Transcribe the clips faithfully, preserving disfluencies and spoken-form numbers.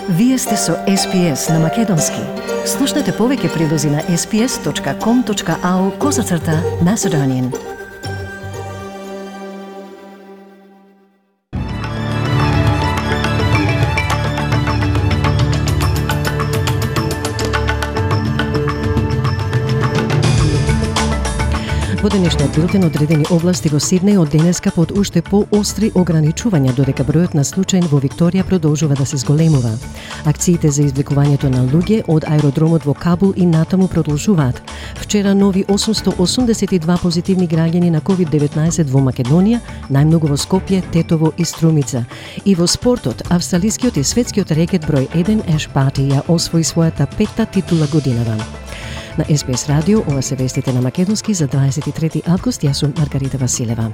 Вие сте со Ес Би Ес на Македонски. Слушнете повеќе прилози на ес би ес точка ком точка ау козацрта Macedonian. Во денешниот билтен одредени области во Сиднеј од денеска под уште поостри ограничувања, додека бројот на случаи во Викторија продолжува да се зголемува. Акциите за извлекувањето на луѓе од аеродромот во Кабул и натаму продолжуваат. Вчера нови осумсто осумдесет и два позитивни граѓани на ковид деветнаесет во Македонија, најмногу во Скопје, Тетово и Струмица. И во спортот, австралискиот и светскиот рекет број еден Еш Барти ја освои својата петта титула годинава. На Ес Би Ес радио, ова се вестите на Македонски за дваесет и трети август, јас сум Маргарита Василева.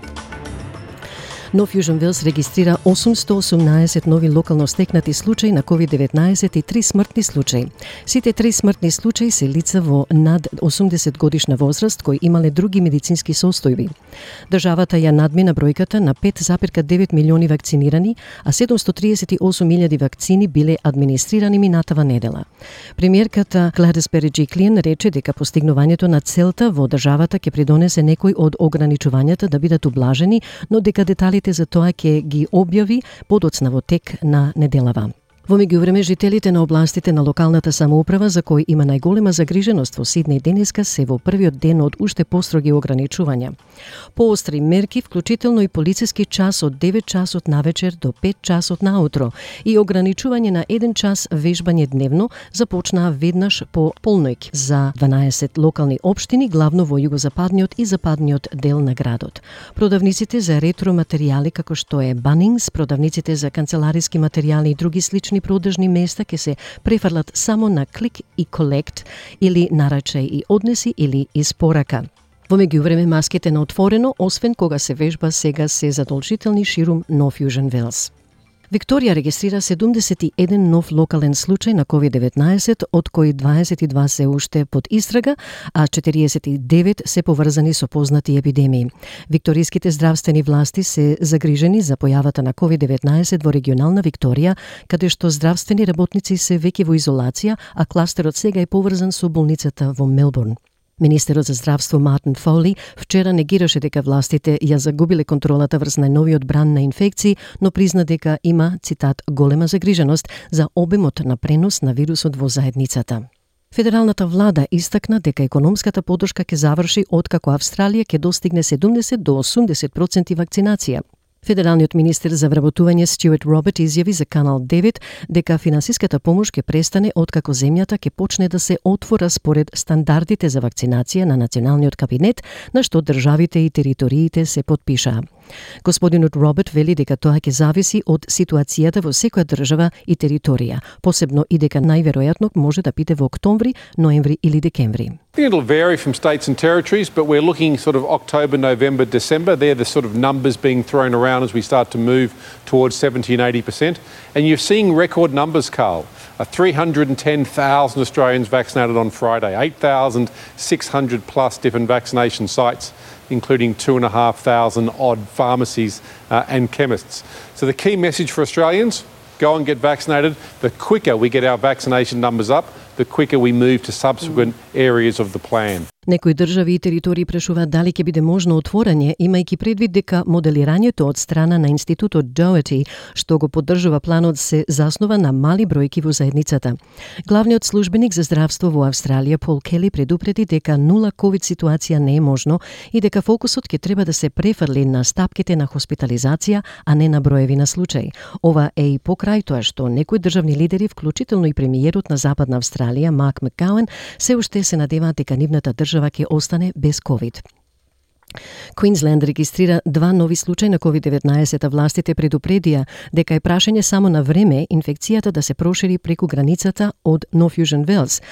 Нов Јужен Велс регистрира осумсто осумнаесет нови локално стекнати случаи на ковид деветнаесет и три смртни случаи. Сите три смртни случаи се лица во над осумдесет годишна возраст кои имале други медицински состојби. Државата ја надмина бројката на пет запирка девет милиони вакцинирани, а седумсто триесет и осум илјади вакцини биле администрирани минатава недела. Премиерката Гледис Береджиклиен рече дека постигнувањето на целта во државата ќе придонесе некои од ограничувањата да бидат ублажени, но дека детали за тоа ќе ги објави подоцна во тек на неделава. Во меѓувреме, жителите на областите на локалната самоуправа за кои има најголема загриженост во Сиднеј денеска се во првиот ден од уште построги ограничувања. Поостри мерки, вклучително и полициски час од девет часот навечер до пет часот наутро и ограничување на еден час вежбање дневно започнаа веднаш по полноќ за дванаесет локални општини, главно во југозападниот и западниот дел на градот. Продавниците за ретро материјали како што е Bunnings, продавниците за канцелариски материјали и други слични продажни места ќе се префрлат само на клик и колект или нарачај и однеси или испорака. Во меѓувреме, маските на отворено, освен кога се вежба, сега се задолжителни ширум Нов Јужен Велс. Викторија регистрира седумдесет и еден нов локален случај на ковид деветнаесет, од кои дваесет и два се уште под истрага, а четириесет и девет се поврзани со познати епидемии. Викториските здравствени власти се загрижени за појавата на ковид деветнаесет во регионална Викторија, каде што здравствени работници се веќе во изолација, а кластерот сега е поврзан со болницата во Мелбурн. Министерот за здравство Мартин Фоли вчера негираше дека властите ја загубиле контролата врз најновиот бран на инфекции, но призна дека има, цитат, голема загриженост за обемот на пренос на вирусот во заедницата. Федералната влада истакна дека економската поддршка ќе заврши откако Австралија ќе достигне седумдесет до осумдесет проценти вакцинација. Федералниот министер за вработување Стюарт Роберт изјави за Канал девет дека финансиската помош ќе престане откако земјата ќе почне да се отвора според стандардите за вакцинација на националниот кабинет, на што државите и териториите се потпишаа. Господинот Роберт вели дека тоа ќе зависи од ситуацијата во секоја држава и територија, посебно и дека најверојатно може да биде во октомври, ноември или декември. It'll vary from states and territories, but we're looking sort of October, November, December. They're the sort of numbers being thrown around as we start to move towards seventy and eighty percent. And you're seeing record numbers, Carl. Uh, three hundred ten thousand Australians vaccinated on Friday, eight thousand six hundred plus different vaccination sites, including two and a half thousand odd pharmacies uh, and chemists. So the key message for Australians, go and get vaccinated. The quicker we get our vaccination numbers up, the quicker we move to subsequent areas of the plan. Некои држави и територии прашуваат дали ќе биде можно отворање, имајќи предвид дека моделирањето од страна на институтот Doherty, што го поддржува планот, се заснова на мали бројки во заедницата. Главниот службеник за здравство во Австралија, Пол Кели, предупреди дека нула ковид ситуација не е можно и дека фокусот ќе треба да се префрли на стапките на хоспитализација, а не на броеви на случаи. Ова е и покрај тоа што некои државни лидери, вклучително и премиерот на Западна Австралија, Марк Макгауен, се уште се надеваат дека нивната држава ќе остане без ковид. Квинсленд регистрира два нови случаи на ковид деветнаесет, а властите предупредија дека е прашање само на време инфекцијата да се прошири преку границата од Нов Јужен Велс.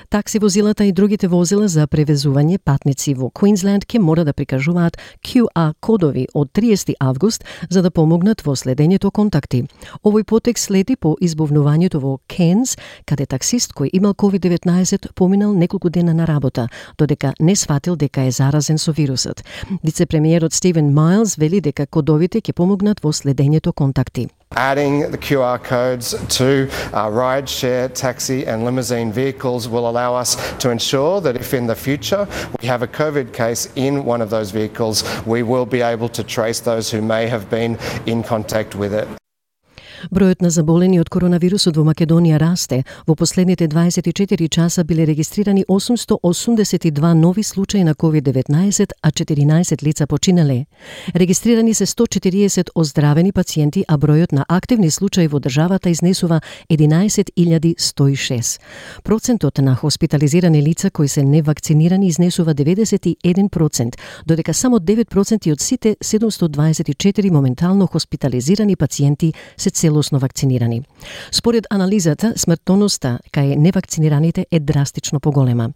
Такси возилата и другите возила за превезување патници во Квинсленд ќе мора да прикажуваат Q R кодови од триесети август за да помогнат во следењето контакти. Овој потек следи по избовнувањето во Кенс, каде таксист кој имал ковид деветнаесет поминал неколку дена на работа, додека не сватил дека е заразен со вирусот. Вице-премиерот Стивен Майлс вели дека кодовите ќе помогнат во следењето контакти. Adding the Q R codes to uh, ride-share, taxi and limousine vehicles will allow us to ensure that if in the future we have a COVID case in one of those vehicles, we will be able to trace those who may have been in contact with it. Бројот на заболени од коронавирусот во Македонија расте. Во последните дваесет и четири часа биле регистрирани осумсто осумдесет и два нови случаи на ковид деветнаесет, а четиринаесет лица починале. Регистрирани се сто четириесет оздравени пациенти, а бројот на активни случаи во државата изнесува единаесет илјади сто и шест. Процентот на хоспитализирани лица кои се невакцинирани изнесува деветдесет и еден процент, додека само девет проценти од сите седумсто дваесет и четири моментално хоспитализирани пациенти се целосно вакцинирани. Според анализата, смртноста кај невакцинираните е драстично поголема.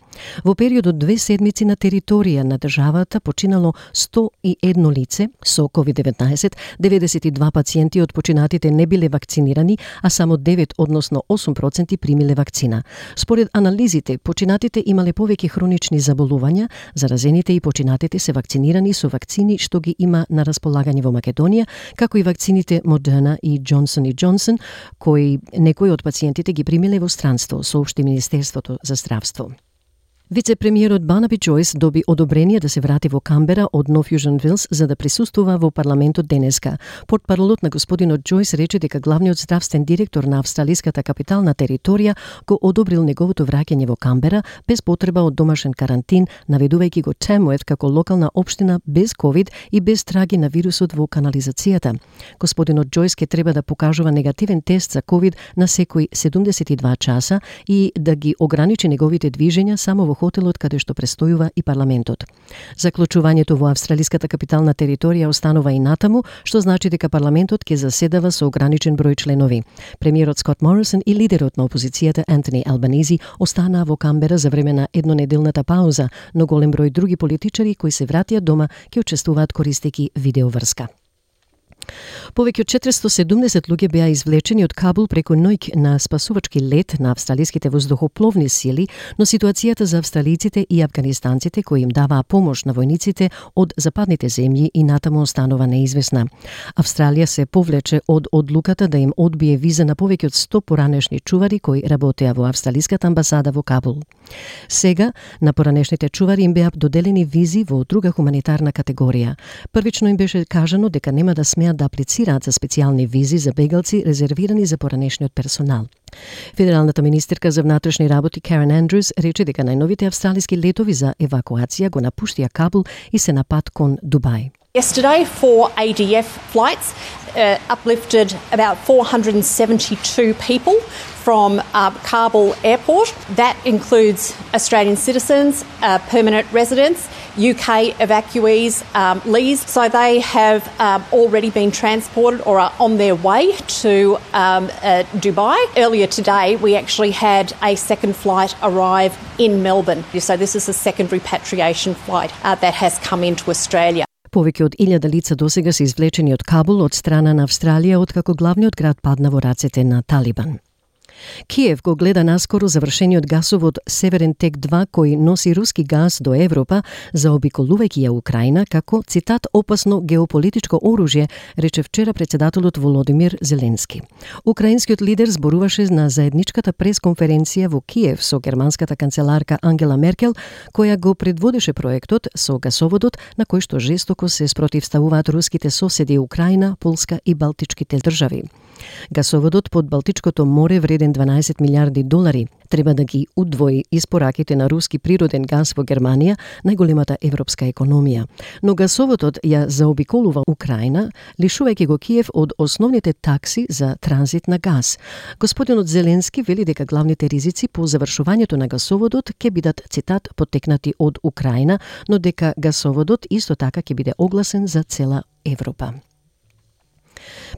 Во период од две седмици на територија на државата починало сто и едно лице со ковид деветнаесет, деветдесет и два пациенти од починатите не биле вакцинирани, а само девет, односно осум проценти примиле вакцина. Според анализите, починатите имале повеќе хронични заболувања, заразените и починатите се вакцинирани со вакцини што ги има на располагање во Македонија, како и вакцините Модерна и Джонсон и Джонсон, кои некои од пациентите ги примиле во странство, соопшти Министерството за здравство. Вице-премиерот Барнаби Джойс доби одобрение да се врати во Камбера од Нов Јужен Велс за да присуствува во парламентот денеска. Портпаролот на господинот Джойс рече дека главниот здравствен директор на австралиската капитална територија го одобрил неговото враќање во Камбера без потреба од домашен карантин, наведувајќи го Тамует како локална општина без ковид и без траги на вирусот во канализацијата. Господинот Джойс ке треба да покажува негативен тест за ковид на секои седумдесет и два часа и да ги ограничи неговите движења само во хотелот каде што престојува и парламентот. Заклучувањето во австралиската капитална територија останува и натаму, што значи дека парламентот ќе заседава со ограничен број членови. Премиерот Скот Морисон и лидерот на опозицијата Антони Албанизи останаа во Камбера за време на еднонеделната пауза, но голем број други политичари кои се вратија дома ќе учествуваат користејќи видеоврска. Повеќе од четиристо седумдесет луѓе беа извлечени од Кабул преку ноќ на спасувачки лет на австралиските воздухопловни сили, но ситуацијата за австралиците и афганистанците кои им даваа помош на војниците од западните земји и натаму останува неизвестна. Австралија се повлече од одлуката да им одбие виза на повеќе од сто поранешни чувари кои работеа во австралиската амбасада во Кабул. Сега на поранешните чувари им беа доделени визи во друга хуманитарна категорија. Првично им беше кажано дека нема да смеат да аплицираат за специјални визи за бегалци резервирани за поранешниот персонал. Федералната министерка за внатрешни работи Карен Андрюс рече дека најновите австралиски летови за евакуација го напуштија Кабул и се на пат кон Дубај. Yesterday, four A D F flights uh, uplifted about four hundred seventy-two people from uh, Kabul airport. That includes Australian citizens, uh, permanent residents, U K evacuees, um, Lees. So they have um, already been transported or are on their way to um, uh, Dubai. Earlier today, we actually had a second flight arrive in Melbourne. So this is a second repatriation flight uh, that has come into Australia. Повеќе од илјада лица досега се извлечени од Кабул од страна на Австралија откако главниот град падна во рацете на Талибан. Киев го гледа наскоро завршениот гасовод Северен тек два кој носи руски газ до Европа, заобиколувајќи ја Украина како, цитат, опасно геополитичко оружје, рече вчера председателот Володимир Зеленски. Украинскиот лидер зборуваше на заедничката пресконференција во Киев со германската канцеларка Ангела Меркел, која го предводеше проектот со гасоводот на кој што жестоко се спротивставуваат руските соседи Украина, Полска и Балтичките држави. Гасоводот под Балтичкото море вреден дванаесет милиарди долари треба да ги удвои испораките на руски природен газ во Германија, најголемата европска економија. Но гасоводот ја заобиколува Украина, лишувајќи го Киев од основните такси за транзит на газ. Господинот Зеленски вели дека главните ризици по завршувањето на гасоводот ќе бидат, цитат, потекнати од Украина, но дека гасоводот исто така ќе биде огласен за цела Европа.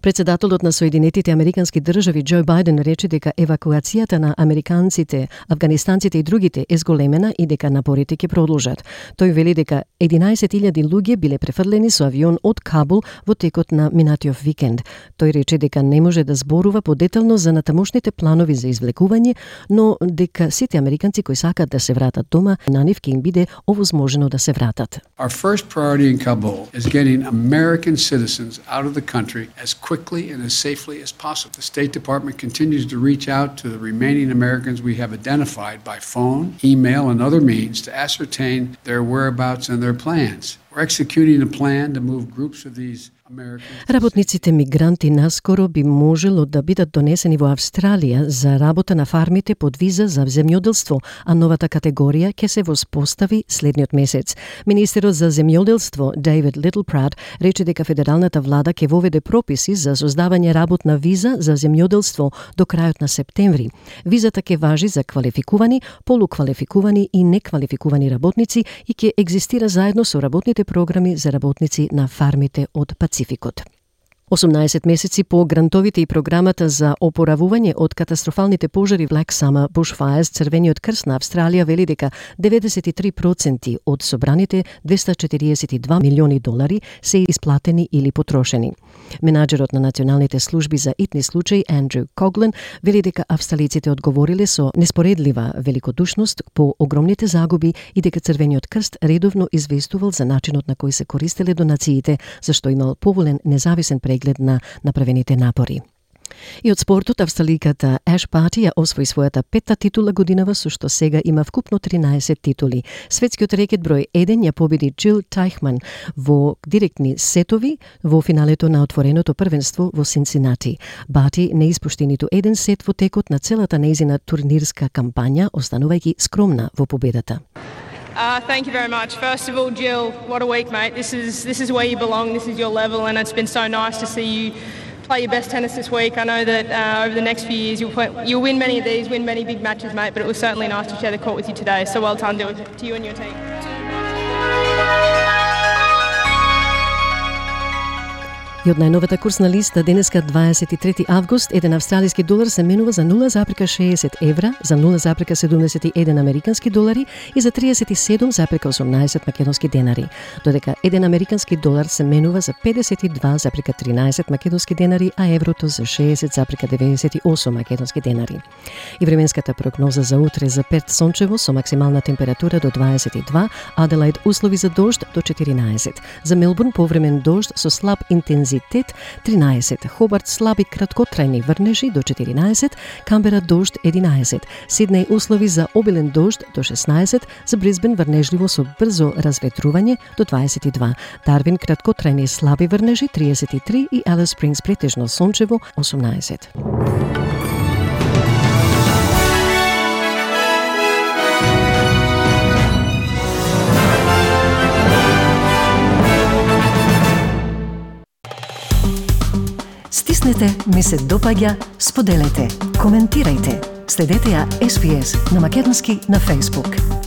Председателот на Соединетите Американски држави Џо Бајден рече дека евакуацијата на американците, афганистанците и другите е зголемена и дека напорите ќе продолжат. Тој вели дека единаесет илјади луѓе биле префрлени со авион од Кабул во текот на минатиот викенд. Тој рече дека не може да зборува подетално за натамошните планови за извлекување, но дека сите американци кои сакаат да се вратат дома, на нив ќе им биде овозможено да се вратат. Our first priority in Kabul is getting American citizens out of the country as quickly and as safely as possible. The State Department continues to reach out to the remaining Americans we have identified by phone, email, and other means to ascertain their whereabouts and their plans. We're executing a plan to move groups of these Работниците мигранти наскоро би можело да бидат донесени во Австралија за работа на фармите под виза за земјоделство, а новата категорија ќе се воспостави следниот месец. Министерот за земјоделство Дейвид Литлпрат рече дека федералната влада ќе воведе прописи за создавање работна виза за земјоделство до крајот на септември. Визата ќе важи за квалификувани, полуквалификувани и неквалификувани работници и ќе екзистира заедно со работните програми за работници на фармите од Пацификот. осумнаесет месеци по грантовите и програмата за опоравување од катастрофалните пожари Black Summer Bushfires, Црвениот крст на Австралија вели дека деветдесет и три проценти од собраните двеста четириесет и два милиони долари се исплатени или потрошени. Менаџерот на националните служби за итни случаи Андрю Коглен вели дека австралиците одговориле со неспоредлива великодушност по огромните загуби и дека Црвениот крст редовно известувал за начинот на кој се користеле донациите, зашто имал поволен независен преглед на направените напори. И од спортот, австраликата Аш Барти ја освои својата петта титула годинава, со што сега има вкупно тринаесет титули. Светскиот рекет број еден ја победи Джил Тајхман во директни сетови во финалето на отвореното првенство во Синцинати. Барти не испушти ниту еден сет во текот на целата нејзина турнирска кампања, останувајќи скромна во победата. Uh, thank you very much. First of all, Jill, what a week, mate. This is this is where you belong. This is your level, and it's been so nice to see you play your best tennis this week. I know that uh, over the next few years you'll play, you'll win many of these, win many big matches, mate. But it was certainly nice to share the court with you today. So well done to, to you and your team. И од најновата курсна листа денеска дваесет и трети август, еден австралиски долар се менува за нула запрека шеесет евра, за нула запрека седумдесет и еден американски долари и за триесет и седум запрека осумнаесет македонски денари, додека еден американски долар се менува за педесет и два запрека тринаесет македонски денари, а еврото за шеесет запрека деветдесет и осум македонски денари. И временската прогноза за утре за Перт сончево со максимална температура до дваесет и два, Аделаид услови за дожд до четиринаесет, за Мелбурн повремен дожд со слаб интензитет тринаесет, Хобарт слаби краткотрајни врнежи до четиринаесет, Камбера дожд единаесет, Сиднеј услови за обилен дожд до шеснаесет, за Брисбен врнежливо со брзо разветрување до дваесет и два, Дарвин краткотрајни слаби врнежи триесет и три и Алис Спрингс претежно сончево осумнаесет. Стиснете, ми се допаѓа, споделете, коментирајте. Следете ја Ес Би Ес на македонски на Facebook.